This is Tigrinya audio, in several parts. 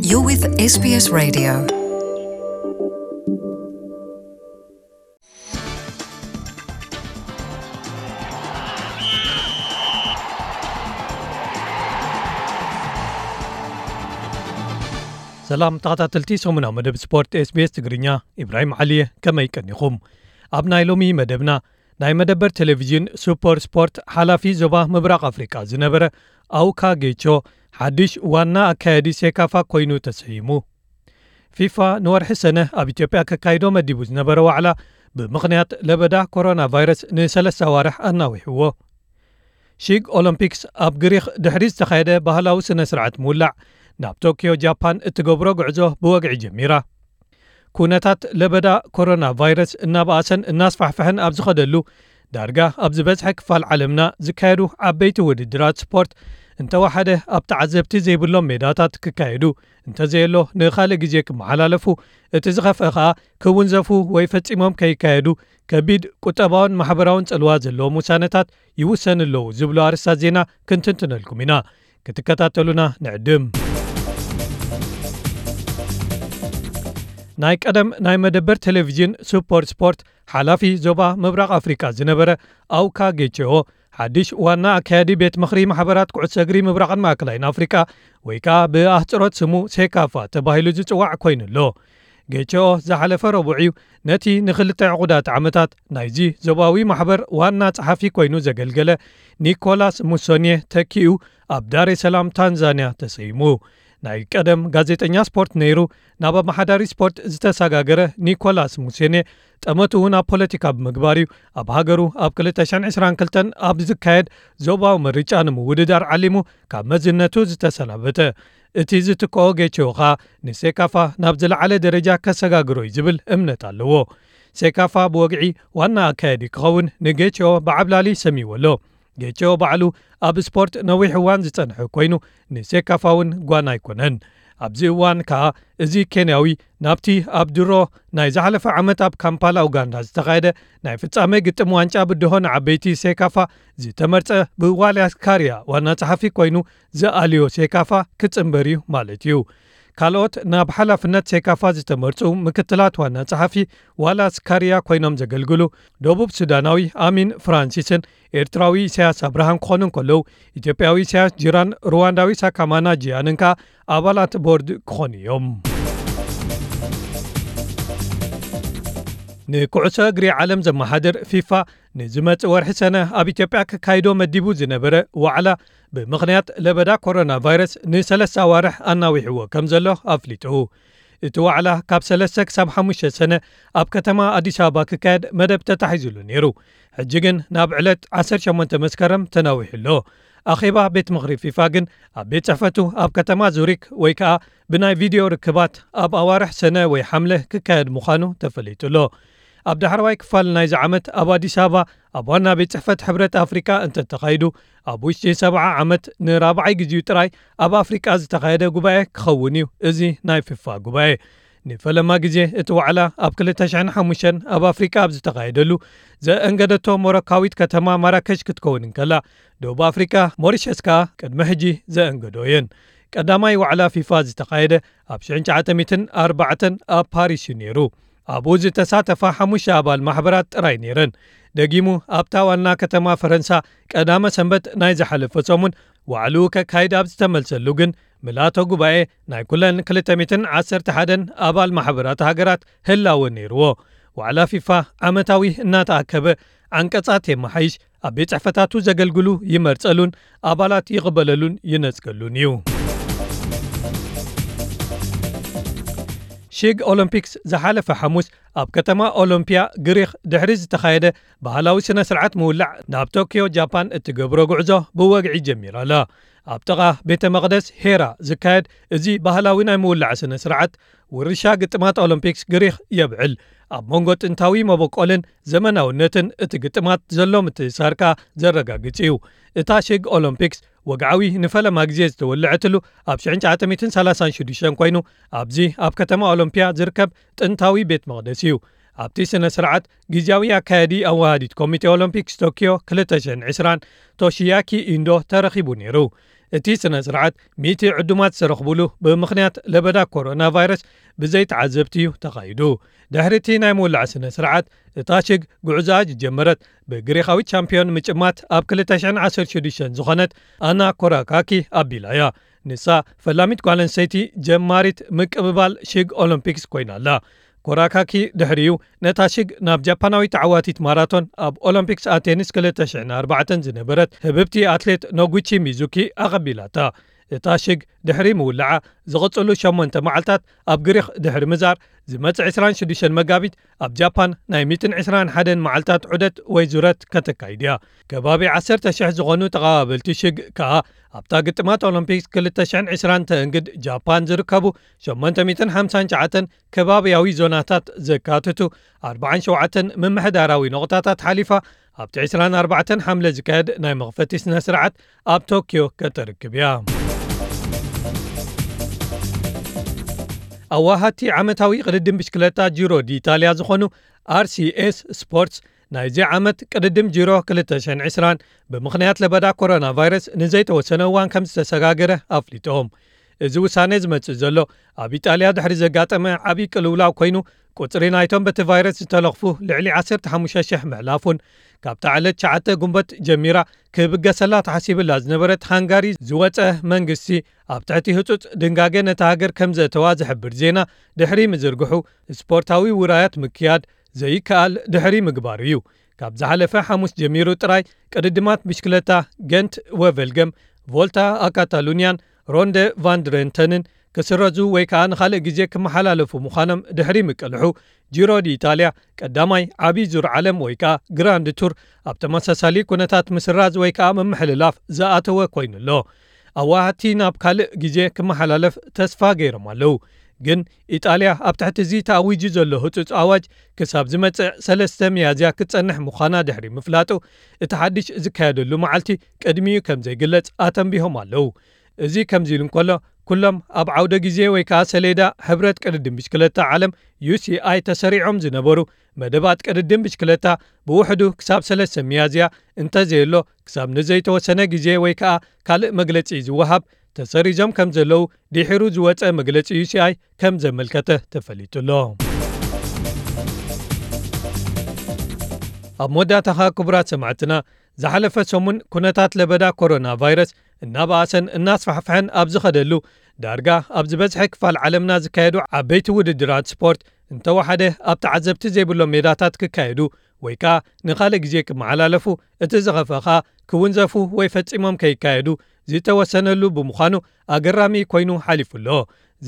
You're with S B S Radio. ሰላም ተኸታተልቲ ሰሙናዊ መደብ ስፖርት ኤስ ቢ ኤስ ትግርኛ፣ ኢብራሂም ዓሊ እየ። ከመይ ቀኒኹም? ኣብ ናይ ሎሚ መደብና፣ ናይ መደበር ቴሌቪዥን ሱፐር ስፖርት ሓላፊ ዞባ ምብራቕ ኣፍሪቃ ዝነበረ ኣውካ ጌቾ ሓድሽ ዋና ኣካያዲ ሴካፋ ኮይኑ ተሰይሙ። ፊፋ ንወርሒ ሰነ ኣብ ኢትዮጵያ ከካይዶ መዲቡ ዝነበረ ዋዕላ ብምኽንያት ለበዳ ኮሮና ቫይረስ ንሰለስተ ኣዋርሕ ኣናዊሕዎ። ሺግ ኦሎምፒክስ ኣብ ግሪኽ ድሕሪ ዝተኻየደ ባህላዊ ስነ ስርዓት ምውላዕ ናብ ቶኪዮ ጃፓን እትገብሮ ጉዕዞ ብወግዒ ጀሚራ። ኩነታት ለበዳ ኮሮና ቫይረስ እናበኣሰን እናስፋሕፍሐን ኣብ ዝኸደሉ፣ ዳርጋ ኣብ ዝበዝሐ ክፋል ዓለምና ዝካየዱ ዓበይቲ ውድድራት ስፖርት እንተወሓደ ኣብ ተዓዘብቲ ዘይብሎም ሜዳታት ክካየዱ፣ እንተዘየሎ ንኻልእ ግዜ ክመሓላለፉ፣ እቲ ዝኸፍአ ኸኣ ክውንዘፉ ወይ ፈጺሞም ከይካየዱ ከቢድ ቁጠባውን ማሕበራውን ጽልዋ ዘለዎም ውሳነታት ይውሰኑ ኣለዉ ዝብሉ ኣርእስታት ዜና ክንትንትነልኩም ኢና። ክትከታተሉና ንዕድም። ናይ ቀደም ናይ መደበር ቴሌቪዥን ሱፐር ስፖርት ሓላፊ ዞባ ምብራቕ ኣፍሪቃ ዝነበረ ኣውካ ጌቼኦ ሓድሽ ዋና ኣካያዲ ቤት ምኽሪ ማሕበራት ኩዕሶ እግሪ ምብራቕን ማእከላይን ኣፍሪቃ ወይ ከኣ ብኣህጽሮት ስሙ ሴካፋ ተባሂሉ ዝጽዋዕ ኮይኑ ኣሎ። ጌቼኦ ዝሓለፈ ረቡዕ እዩ ነቲ ንኽልተ ዕቑዳት ዓመታት ናይዚ ዞባዊ ማሕበር ዋና ጸሓፊ ኮይኑ ዘገልገለ ኒኮላስ ሙሶኔ ተኪኡ ኣብ ዳሬ ሰላም ታንዛንያ ተሰይሙ። ናይ ቀደም ጋዜጠኛ ስፖርት ነይሩ፣ ናብ ኣመሓዳሪ ስፖርት ዝተሰጋገረ ኒኮላስ ሙሴኔ ጠመትኡ ናብ ፖለቲካ ብምግባር እዩ ኣብ ሃገሩ ኣብ ክልተ ሽሕን ዕስራን ክልተን ኣብ ዝካየድ ዞባዊ ምርጫ ንምውድዳር ዓሊሙ ካብ መዝነቱ ዝተሰናበተ። እቲ ዝትክኦ ጌቼኦ ኸኣ ንሴካፋ ናብ ዝለዓለ ደረጃ ከሰጋግሮ እዩ ዝብል እምነት ኣለዎ። ሴካፋ ብወግዒ ዋና ኣካያዲ ክኸውን ንጌቼኦ ብዓብላሊ ሰሚዎ ኣሎ። ጌቼኦ ባዕሉ ኣብ ስፖርት ነዊሕ እዋን ዝጸንሐ ኮይኑ፣ ንሴካፋ እውን ጓና ኣይኮነን። ኣብዚ እዋን ከኣ እዚ ኬንያዊ ናብቲ ኣብ ድሮ ናይ ዝሓለፈ ዓመት ኣብ ካምፓላ ኡጋንዳ ዝተኻየደ ናይ ፍጻመ ግጥም ዋንጫ ብድሆ ንዓበይቲ ሴካፋ ዝተመርጸ ብዋልያስ ካርያ ዋና ጸሓፊ ኮይኑ ዝኣልዮ ሴካፋ ክጽንበር እዩ ማለት እዩ። ካልኦት ናብ ሓላፍነት ሴካፋ ዝተመርጹ ምክትላት ዋና ጸሓፊ ዋላስ ካርያ ኮይኖም ዘገልግሉ ደቡብ ሱዳናዊ ኣሚን ፍራንሲስን ኤርትራዊ ኢሳያስ ኣብርሃን ክኾኑ እንከለዉ፣ ኢትዮጵያዊ ኢሳያስ ጂራን ሩዋንዳዊ ሳካማና ጂያንን ከኣ ኣባላት ቦርድ ክኾኑ እዮም። ንኩዕሶ እግሪ ዓለም ዘመሓድር ፊፋ ንዝመጽእ ወርሒ ሰነ ኣብ ኢትዮጵያ ክካይዶ መዲቡ ዝነበረ ዋዕላ ብምኽንያት ለበዳ ኮሮና ቫይረስ ንሰለስተ ኣዋርሕ ኣናዊሕዎ ከም ዘሎ ኣፍሊጡ። እቲ ዋዕላ ካብ ሰለስተ ክሳብ ሓሙሽተ ሰነ ኣብ ከተማ ኣዲስ ኣበባ ክካየድ መደብ ተታሒዙሉ ነይሩ። ሕጂ ግን ናብ ዕለት ዓሰርተ ሸሞንተ መስከረም ተናዊሑ ኣሎ። ኣኼባ ቤት ምኽሪ ፊፋ ግን ኣብ ቤት ጽሕፈቱ ኣብ ከተማ ዙሪክ ወይ ከኣ ብናይ ቪድዮ ርክባት ኣብ ኣዋርሕ ሰነ ወይ ሓምለ ክካየድ ምዃኑ ተፈሊጡ ኣሎ። ኣብ ዳሕረዋይ ክፋል ናይዚ ዓመት ኣብ ኣዲስ ኣበባ ኣብ ዋና ቤት ጽሕፈት ሕብረት ኣፍሪቃ እንተተኻይዱ፣ ኣብ ውሽጢ ሰብዓ ዓመት ንራብዓይ ግዜኡ ጥራይ ኣብ ኣፍሪቃ ዝተኻየደ ጉባኤ ክኸውን እዩ እዚ ናይ ፊፋ ጉባኤ። ንፈለማ ግዜ እቲ ዋዕላ ኣብ ክልተ ሽሕን ሓሙሽተን ኣብ ኣፍሪቃ ኣብ ዝተኻየደሉ ዘእንገደቶ ሞሮካዊት ከተማ ማራከሽ ክትከውን እንከላ፣ ደቡብ ኣፍሪቃ ሞሪሸስ ከኣ ቅድሚ ሕጂ ዘእንገዶ እየን። ቀዳማይ ዋዕላ ፊፋ ዝተኻየደ ኣብ ሽሕን ትሽዓተ ሚእትን ኣርባዕተን ኣብ ፓሪስ እዩ ነይሩ። ኣብኡ ዝተሳተፋ ሓሙሽተ ኣባል ማሕበራት ጥራይ ነይረን። ደጊሙ ኣብታ ዋና ከተማ ፈረንሳ ቀዳመ ሰንበት ናይ ዝሓለፈ ሰሙን ዋዕልኡ ከካይድ ኣብ ዝተመልሰሉ ግን፣ ምልኣተ ጉባኤ ናይ ኩለን ክልተ ሚእትን ዓሰርተ ሓደን ኣባል ማሕበራት ሃገራት ህላወ ነይርዎ። ዋዕላ ፊፋ ዓመታዊ እናተኣከበ ዓንቀጻት የመሓይሽ፣ ኣብ ቤት ጽሕፈታቱ ዘገልግሉ ይመርጸሉን ኣባላት ይቕበለሉን ይነጽገሉን እዩ። ሺግ ኦሎምፒክስ ዝሓለፈ ሓሙስ ኣብ ከተማ ኦሎምፒያ ግሪኽ ድሕሪ ዝተኻየደ ባህላዊ ስነ ስርዓት ምውላዕ ናብ ቶኪዮ ጃፓን እትገብሮ ጉዕዞ ብወግዒ ጀሚራ ኣላ። ኣብ ጥቓ ቤተ መቕደስ ሄራ ዝካየድ እዚ ባህላዊ ናይ ምውላዕ ስነ ስርዓት ውርሻ ግጥማት ኦሎምፒክስ ግሪኽ የብዕል። ኣብ መንጎ ጥንታዊ መበቆልን ዘመናውነትን እቲ ግጥማት ዘሎ ምትእስሳር ከኣ ዘረጋግጽ እዩ። እታ ሺግ ኦሎምፒክስ ወግዓዊ ንፈለማ ግዜ ዝተወልዐትሉ ኣብ ሽሕን ትሽዓተ ሚእትን ሰላሳን ሽዱሽተን ኮይኑ፣ ኣብዚ ኣብ ከተማ ኦሎምፒያ ዝርከብ ጥንታዊ ቤት መቕደስ እዩ። ኣብቲ ስነ ስርዓት ግዝያዊ ኣካያዲ ኣወሃዲት ኮሚቴ ኦሎምፒክስ ቶኪዮ ክልተ ሽሕን ዕስራን ቶሺያኪ ኢንዶ ተረኺቡ ነይሩ። እቲ ስነ ስርዓት ሚእቲ ዕዱማት ዝተረኽቡሉ ብምኽንያት ለበዳ ኮሮና ቫይረስ ብዘይ ተዓዘብቲ እዩ ተኻይዱ። ድሕሪ እቲ ናይ ምውላዕ ስነ ስርዓት፣ እታ ሽግ ጉዕዞኣ ዝጀመረት ብግሪኻዊት ቻምፒዮን ምጭማት ኣብ ክልተ ሽሕን ዓሰርተ ሽዱሽተን ዝኾነት ኣና ኮራካኪ ኣቢላ እያ። ንሳ ፈላሚት ጓል ኣንስተይቲ ጀማሪት ምቅብባል ሽግ ኦሎምፒክስ ኮይና ኣላ። ኮራካኪ ድሕሪኡ ነታ ሽግ ናብ ጃፓናዊት ተዓዋቲት ማራቶን ኣብ ኦሎምፒክስ ኣቴንስ ክልተ ሽሕን ኣርባዕተን ዝነበረት ህብብቲ ኣትሌት ኖጉቺ ሚዙኪ ኣቐቢላታ። እታ ሽግ ድሕሪ ምውላዓ ዝቕጽሉ ሸሞንተ መዓልታት ኣብ ግሪኽ ድሕሪ ምዛር፣ ዝመጽእ ዕስራን ሽዱሽተን መጋቢት ኣብ ጃፓን ናይ ሚእትን ዕስራን ሓደን መዓልታት ዑደት ወይ ዙረት ከተካይድ እያ። ከባቢ ዓሰርተ ሽሕ ዝኾኑ ተቐባበልቲ ሽግ ከኣ ኣብታ ግጥማት ኦሎምፒክስ ክልተ ሽሕን ዕስራን ተእንግድ ጃፓን ዝርከቡ ሸሞንተ ሚእትን ሓምሳን ትሽዓተን ከባብያዊ ዞናታት ዘካትቱ ኣርባዓን ሸውዓተን ምምሕዳራዊ ነቑጣታት ሓሊፋ ኣብቲ ዕስራን ኣርባዕተን ሓምለ ዝካየድ ናይ መኽፈቲ ስነ ስርዓት ኣብ ቶክዮ ከተርክብ እያ። ኣዋሃድቲ ዓመታዊ ቅድድም ብሽክለታ ጂሮ ዲ ኢጣልያ ዝኾኑ ኣር ሲ ኤስ ስፖርትስ ናይዚ ዓመት ቅድድም ጂሮ ክልተ ሽሕን ዕስራን ብምኽንያት ለበዳ ኮሮና ቫይረስ ንዘይተወሰነ እዋን ከም ዝተሰጋገረ ኣፍሊጦም። እዚ ውሳኔ ዝመጽእ ዘሎ ኣብ ኢጣልያ ድሕሪ ዘጋጠመ ዓብዪ ቅልውላው ኮይኑ፣ ቁጽሪ ናይቶም በቲ ቫይረስ ዝተለኽፉ ልዕሊ ዓሰርተ ሓሙሽተ ሽሕ ምሕላፉን ካብታ ዕለት ትሽዓተ ጉንበት ጀሚራ ክብገሰላ ተሓሲብላ ዝነበረት ሃንጋሪ ዝወጸ መንግስቲ ኣብ ትሕቲ ህጹጽ ድንጋገ ነታ ሃገር ከም ዘእተዋ ዝሕብር ዜና ድሕሪ ምዝርግሑ፣ ስፖርታዊ ውራያት ምክያድ ዘይከኣል ድሕሪ ምግባሩ እዩ። ካብ ዝሓለፈ ሓሙስ ጀሚሩ ጥራይ ቅድድማት ብሽክለታ ገንት ወቨልገም፣ ቮልታ ኣካታሉንያን ሮንደ ቫንድረንተንን ክስረዙ ወይ ከኣ ንኻልእ ግዜ ክመሓላለፉ ምዃኖም ድሕሪ ምቅልሑ፣ ጂሮ ዲ ኢጣልያ ቀዳማይ ዓብዪ ዙር ዓለም ወይ ከኣ ግራንድ ቱር ኣብ ተመሳሳሊ ኩነታት ምስራዝ ወይ ከኣ ምምሕልላፍ ዝኣተወ ኮይኑ ኣሎ። ኣዋሃድቲ ናብ ካልእ ግዜ ክመሓላለፍ ተስፋ ገይሮም ኣለዉ። ግን ኢጣልያ ኣብ ትሕቲ እዚ ተኣዊጁ ዘሎ ህጹጽ ኣዋጅ ክሳብ ዝመጽእ ሰለስተ ሚያዝያ ክትጸንሕ ምዃና ድሕሪ ምፍላጡ፣ እቲ ሓድሽ ዝካየደሉ መዓልቲ ቅድሚኡ ከም ዘይግለጽ ኣተንቢሆም ኣለዉ። እዚ ከምዚ ኢሉ እንከሎ፣ ኩሎም ኣብ ዓውደ ግዜ ወይ ከኣ ሰሌዳ ሕብረት ቅድድም ብሽክለታ ዓለም ዩ ሲ ኣይ ተሰሪዖም ዝነበሩ መደባት ቅድድም ብሽክለታ ብውሕዱ ክሳብ ሰለስተ ሚያዝያ እንተዘየሎ ክሳብ ንዘይተወሰነ ግዜ ወይ ከኣ ካልእ መግለጺ ዝወሃብ ተሰሪዞም ከም ዘለዉ ድሒሩ ዝወጸ መግለጺ ዩ ሲ ኣይ ከም ዘመልከተ ተፈሊጡ ኣሎ። ኣብ መወዳእታ ኸኣ ክቡራት ሰማዕትና፣ ዝሓለፈ ሰሙን ኩነታት ለበዳ ኮሮና ቫይረስ እናበኣሰን እናስፋሕፍሐን ኣብ ዝኸደሉ፣ ዳርጋ ኣብ ዝበዝሐ ክፋል ዓለምና ዝካየዱ ዓበይቲ ውድድራት ስፖርት እንተወሓደ ኣብ ተዓዘብቲ ዘይብሎም ሜዳታት ክካየዱ ወይ ከኣ ንኻልእ ግዜ ክመሓላለፉ፣ እቲ ዝኸፍአ ኸኣ ክውንዘፉ ወይ ፈጺሞም ከይካየዱ ዝተወሰነሉ ብምዃኑ ኣገራሚ ኮይኑ ሓሊፉ ኣሎ።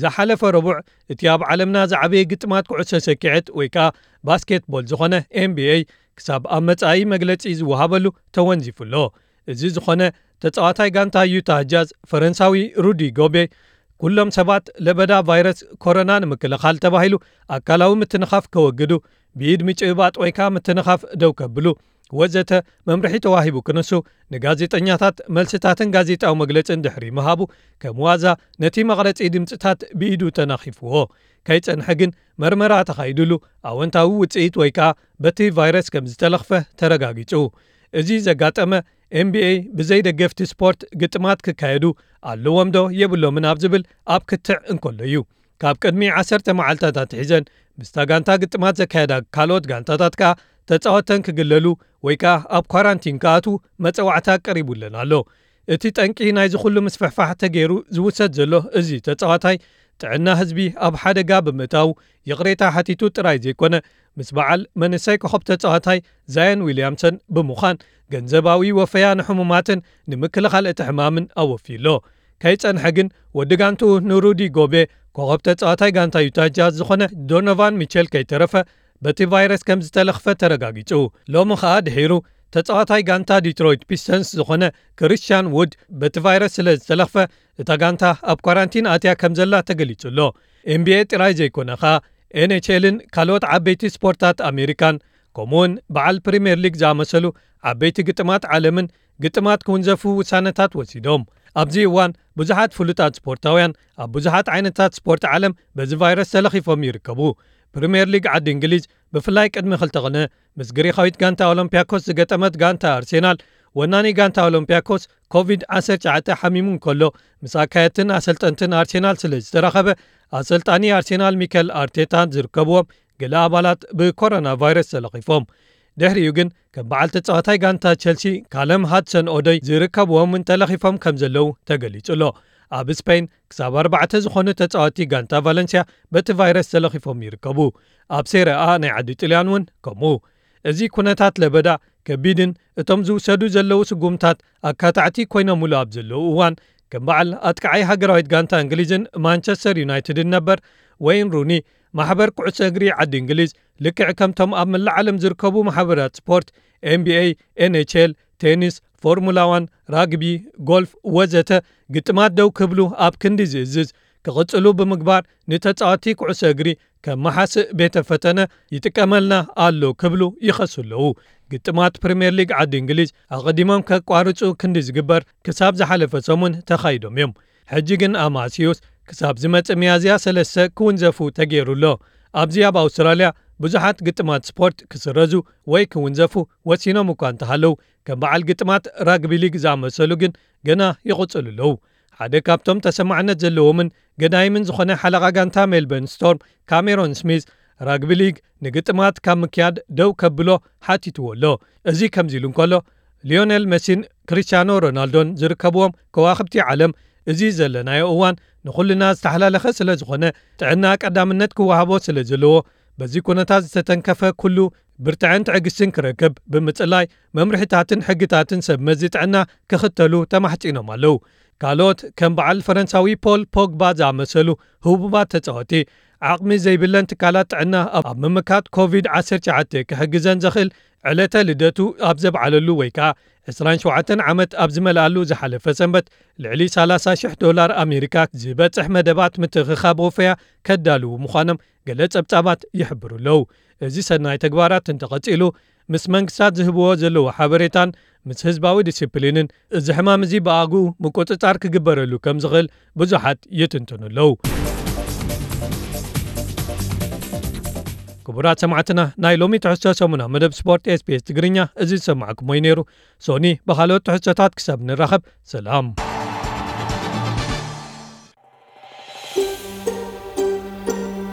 ዝሓለፈ ረቡዕ እቲ ኣብ ዓለምና ዝዓበየ ግጥማት ኩዕሶ ሰኪዐት ወይ ከኣ ባስኬትቦል ዝኾነ ኤን ቢ ኤ ክሳብ ኣብ መጻኢ መግለጺ ዝወሃበሉ ተወንዚፉ ኣሎ። እዚ ዝኾነ ተጻዋታይ ጋንታ ዩታ ጃዝ ፈረንሳዊ ሩዲ ጎቤ፣ ኩሎም ሰባት ለበዳ ቫይረስ ኮሮና ንምክልኻል ተባሂሉ ኣካላዊ ምትንኻፍ ከወግዱ፣ ብኢድ ምጭብባጥ ወይ ከኣ ምትንኻፍ ደው ከብሉ ወዘተ መምርሒ ተዋሂቡ ክንሱ፣ ንጋዜጠኛታት መልስታትን ጋዜጣዊ መግለጽን ድሕሪ ምሃቡ፣ ከም ዋዛ ነቲ መቕረጺ ድምጽታት ብኢዱ ተናኺፍዎ። ከይጸንሐ ግን መርመራ ተኻይዱሉ ኣወንታዊ ውጽኢት ወይ ከኣ በቲ ቫይረስ ከም ዝተለኽፈ ተረጋጊጹ። እዚ ዘጋጠመ ኤን ቢ ኤ ብዘይ ደገፍቲ ስፖርት ግጥማት ክካየዱ ኣለዎም ዶ የብሎምን ኣብ ዝብል ኣብ ክትዕ እንከሎ እዩ። ካብ ቅድሚ ዓሰርተ መዓልታት ኣትሒዘን ምስታ ጋንታ ግጥማት ዘካየዳ ካልኦት ጋንታታት ከኣ ተጻወተን ክግለሉ ወይ ከኣ ኣብ ኳራንቲን ክኣትዉ መጸዋዕታ ቀሪቡለን ኣሎ። እቲ ጠንቂ ናይዚ ኩሉ ምስፍሕፋሕ ተገይሩ ዝውሰድ ዘሎ እዚ ተጻዋታይ ጥዕና ህዝቢ ኣብ ሓደጋ ብምእታው ይቕሬታ ሓቲቱ ጥራይ ዘይኮነ፣ ምስ በዓል መንእሰይ ኮኸብ ተጻዋታይ ዛየን ዊልያምሰን ብምዃን ገንዘባዊ ወፈያ ንሕሙማትን ንምክልኻል እቲ ሕማምን ኣወፍዩ ኣሎ። ከይጸንሐ ግን ወዲ ጋንትኡ ንሩዲ ጎቤ ኮኸብ ተጻዋታይ ጋንታ ዩታ ጃዝ ዝኾነ ዶኖቫን ሚቸል ከይተረፈ በቲ ቫይረስ ከም ዝተለኽፈ ተረጋጊጹ። ሎሚ ኸኣ ድሒሩ ተጻዋታይ ጋንታ ዲትሮይት ፒስተንስ ዝኾነ ክሪስቲያን ውድ በቲ ቫይረስ ስለ ዝተለኽፈ እታ ጋንታ ኣብ ኳራንቲን ኣትያ ከም ዘላ ተገሊጹ ኣሎ። ኤን ቢ ኤ ጥራይ ዘይኮነ ኸኣ ኤን ኤች ኤልን ካልኦት ዓበይቲ ስፖርታት ኣሜሪካን ከምኡውን በዓል ፕሪምየር ሊግ ዝኣመሰሉ ዓበይቲ ግጥማት ዓለምን ግጥማት ክውንዘፉ ውሳነታት ወሲዶም። ኣብዚ እዋን ብዙሓት ፍሉጣት ስፖርታውያን ኣብ ብዙሓት ዓይነታት ስፖርት ዓለም በዚ ቫይረስ ተለኺፎም ይርከቡ። ፕሪምየር ሊግ ዓዲ እንግሊዝ ብፍላይ ቅድሚ ክልተ ቅነ ምስ ግሪኻዊት ጋንታ ኦሎምፒያኮስ ዝገጠመት ጋንታ ኣርሴናል ወናኒ ጋንታ ኦሎምፒያኮስ ኮቪድ ዓሰርተ ትሽዓተ ሓሚሙ እንከሎ፣ ምስ ኣካየድትን ኣሰልጠንትን ኣርሴናል ስለ ዝተራኸበ፣ ኣሰልጣኒ ኣርሴናል ሚከል ኣርቴታ ዝርከብዎም ገለ ኣባላት ብኮሮና ቫይረስ ተለኺፎም። ድሕሪኡ ግን ከም በዓል ተጻዋታይ ጋንታ ቸልሲ ካለም ሃድሰን ኦዶይ ዝርከብዎም እውን ተለኺፎም ከም ዘለዉ ተገሊጹ ኣሎ። ኣብ ስፔን ክሳብ ኣርባዕተ ዝኾኑ ተጻወቲ ጋንታ ቫለንሲያ በቲ ቫይረስ ተለኺፎም ይርከቡ። ኣብ ሴረ ኣ ናይ ዓዲ ጥልያን እውን ከምኡ። እዚ ኩነታት ለበዳ ከቢድን እቶም ዝውሰዱ ዘለዉ ስጉምታት ኣካታዕቲ ኮይኖምሉ ኣብ ዘለዉ እዋን፣ ከም በዓል ኣጥቃዓይ ሃገራዊት ጋንታ እንግሊዝን ማንቸስተር ዩናይትድን ነበር ወይን ሩኒ፣ ማሕበር ኩዕሶ እግሪ ዓዲ እንግሊዝ ልክዕ ከምቶም ኣብ መላእ ዓለም ዝርከቡ ማሕበራት ስፖርት፣ ኤንቢኤ፣ ኤንኤችኤል፣ ቴኒስ፣ ፎርሙላ ዋን፣ ራግቢ፣ ጎልፍ ወዘተ፣ ግጥማት ደው ክብሉ ኣብ ክንዲ ዝእዝዝ ክቕጽሉ ብምግባር፣ ንተጻወቲ ኩዕሶ እግሪ ከም መሓስእ ቤተ ፈተነ ይጥቀመልና ኣሎ ክብሉ ይኸሱ ኣለዉ። ግጥማት ፕሪምየር ሊግ ዓዲ እንግሊዝ ኣቐዲሞም ከቋርጹ ክንዲ ዝግበር ክሳብ ዝሓለፈ ሰሙን ተኻይዶም እዮም። ሕጂ ግን ኣማሲዩስ ክሳብ ዝመጽእ ሚያዝያ ሰለስተ ክውንዘፉ ተገይሩ ኣሎ። ኣብዚ ኣብ ኣውስትራልያ ብዙሓት ግጥማት ስፖርት ክስረዙ ወይ ክውንዘፉ ወሲኖም እኳ እንተሃለዉ፣ ከም በዓል ግጥማት ራግቢ ሊግ ዝኣመሰሉ ግን ገና ይቕጽሉ ኣለዉ። ሓደ ካብቶም ተሰማዕነት ዘለዎምን ገዳይምን ዝኾነ ሓለቓ ጋንታ ሜልበርን ስቶርም ካሜሮን ስሚዝ፣ ራግቢ ሊግ ንግጥማት ካብ ምክያድ ደው ከብሎ ሓቲትዎ ኣሎ። እዚ ከምዚ ኢሉ እንከሎ፣ ሊዮኔል መሲን ክሪስቲያኖ ሮናልዶን ዝርከብዎም ከዋኽብቲ ዓለም፣ እዚ ዘለናዮ እዋን ንኹልና ዝተሓላለኸ ስለ ዝኾነ፣ ጥዕና ቀዳምነት ክወሃቦ ስለ ዘለዎ፣ በዚ ኩነታት ዝተተንከፈ ኩሉ ብርትዐን ትዕግስትን ክረክብ ብምጽላይ፣ መምርሒታትን ሕግታትን ሰብ መዚ ጥዕና ክኽተሉ ተማሕጺኖም ኣለዉ። ካልኦት ከም በዓል ፈረንሳዊ ፖል ፖግባ ዝኣመሰሉ ህቡባት ተጻወቲ፣ ዓቕሚ ዘይብለን ትካላት ጥዕና ኣብ ኣብ ምምካት ኮቪድ ዓሰርተ ትሽዓተ ክሕግዘን ዘኽእል ዕለተ ልደቱ ኣብ ዘብዓለሉ ወይ ከኣ ዕስራን ሸውዓተን ዓመት ኣብ ዝመልኣሉ ዝሓለፈ ሰንበት፣ ልዕሊ ሰላሳ ሽሕ ዶላር ኣሜሪካ ዝበጽሕ መደባት ምትእኽኻብ ወፈያ ከዳልዉ ምዃኖም ገለ ጸብጻባት ይሕብሩ ኣለዉ። እዚ ሰናይ ተግባራት እንተቐጺሉ፣ ምስ መንግስታት ዝህብዎ ዘለዉ ሓበሬታን ምስ ህዝባዊ ዲሲፕሊንን፣ እዚ ሕማም እዚ ብኣግኡ ምቁጽጻር ክግበረሉ ከም ዝኽእል ብዙሓት ይትንትኑ ኣለዉ። ክቡራት ሰማዕትና፣ ናይ ሎሚ ትሕዝቶ ሰሙና መደብ ስፖርት ኤስቢኤስ ትግርኛ እዚ ዝሰማዕኩሞ እዩ ነይሩ። ሶኒ ብኻልኦት ትሕዝቶታት ክሳብ ንራኸብ፣ ሰላም።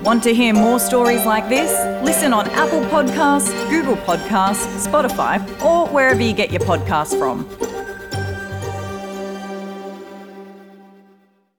Want to hear more stories like this? Listen on Apple Podcasts, Google Podcasts, Spotify, or wherever you get your podcasts from.